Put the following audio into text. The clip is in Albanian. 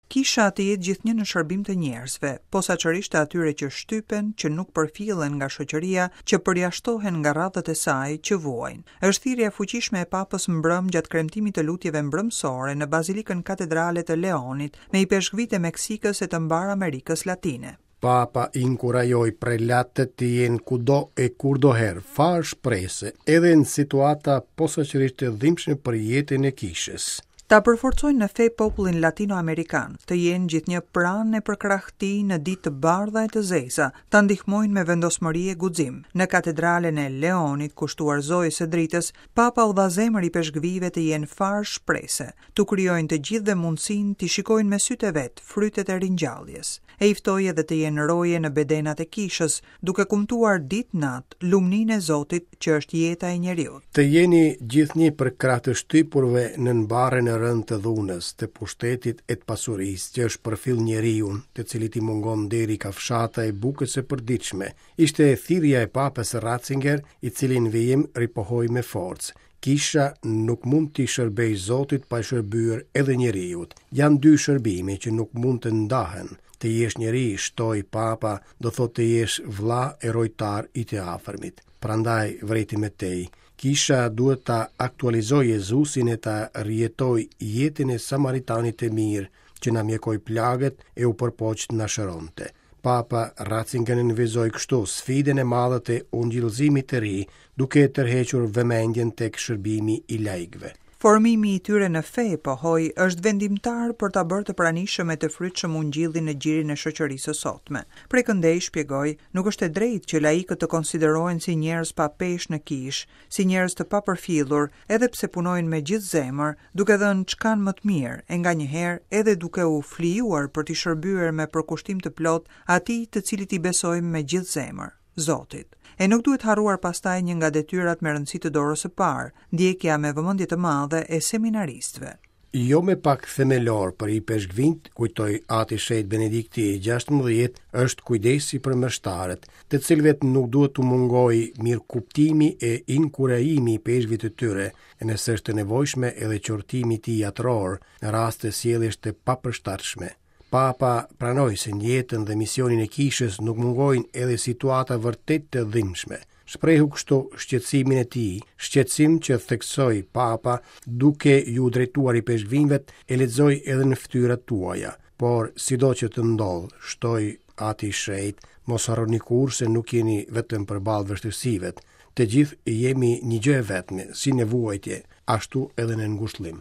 Kisha të jetë gjithnjë në shërbim të njerëzve, posaçërisht të atyre që shtypen, që nuk përfillen nga shoqëria, që përjashtohen nga radhët e saj, që vuajnë. Është thirrja e fuqishme e Papës mbrëmë gjatë kremtimit të lutjeve mbrëmësore në Bazilikën Katedrale të Leonit, me ipeshkvijtë e Meksikës e të mbarë Amerikës Latine. Papa inkurajoi prelatët të jenë kudo e kurdoherë farë shprese, edhe në situata posaçërisht të dhimbshme për jetën e kishës. Ta përforcojnë në fe popullin latino-amerikan, të jenë gjithnjë pranë e përkrah tij në ditë të bardha e të zeza, ta ndihmojnë me vendosmëri e guxim. Në katedralen e Leonit, kushtuar Zojës së Dritës, Papa u dha zemër ipeshkvijve të jenë farë shprese, t'u krijojnë të gjithëve mundësinë t'i shikojnë me sytë e vet frytet e ringjalljes. E i ftoi edhe të jenë roje në bedenat e kishës, duke kumtuar ditë natë lumninë e Zotit që është jeta e njeriut. Të jeni gjithnjë përkrah të shtypurve nën barrën e rëndë të dhunës, të pushtetit e të pasurisë, që e shpërfill njeriun, të cilit i mungon deri kafshata e bukës së përditshme, ishte thirrja e Papës Ratzinger, i cili në vijim ripohoi me forcë, Kisha nuk mund t'i shërbejë Zotit pa i shërbyer edhe njeriut. Janë dy shërbime që nuk mund të ndahen. Të jesh njeri, shtoi Papa, do thotë të jesh vëlla e rojtar i të afërmit. Prandaj, vërejti më tej, Kisha duhet ta aktualizojë Jezusin e ta rijetojë jetën e Samaritanit të Mirë, që na mjekoi plagët e u përpoq të na shëronte. Papa Ratzinger nënvizoi kështu sfidën e madhe të ungjillëzimit të ri, duke e tërhequr vëmendjen tek shërbimi i laikëve. Formimi i tyre në fe, pohoi, është vendimtar për ta bërë të pranishëm e të frytshëm ungjillin në gjirin e shoqërisë së sotme. Prej këndej, shpjegoi, nuk është e drejtë që laikët të konsiderohen si njerëz pa peshë në kishë, si njerëz të papërfillur, edhe pse punojnë me gjithë zemër, duke dhënë ç'kanë më të mirë e nganjëherë edhe duke u flijuar për t'i shërbyer me përkushtim të plotë atij të cilit i besojmë me gjithë zemër, Zotit. E nuk duhet harruar pastaj një nga detyrat me rëndësi të dorës së parë, ndjekja me vëmendje të madhe e seminaristëve. Jo më pak themelor për ipeshkvinjtë, kujtoi Ati i Shenjtë Benedikti i 16, është kujdesi për meshtarët, të cilëve nuk duhet t'u mungojë mirëkuptimi e inkurajimi i ipeshkvit të tyre, e nëse është e nevojshme edhe qortimi i tij atëror, në raste sjelljesh të papërshtatshme. Papa pranoi se në jetën dhe misionin e kishës nuk mungojnë edhe situata vërtet të dhimbshme. Shprehu kështu shqetësimin e tij, shqetësim që theksoi Papa duke iu drejtuar ipeshkvinjve, e lexoj edhe në fytyrat tuaja. Por sido që të ndodhë, shtoi Ati i Shenjtë, mos harroni kurrë se nuk jeni vetëm përballë vështirësive. Të gjithë jemi një gjë e vetme, si në vuajtje, ashtu edhe në ngushëllim.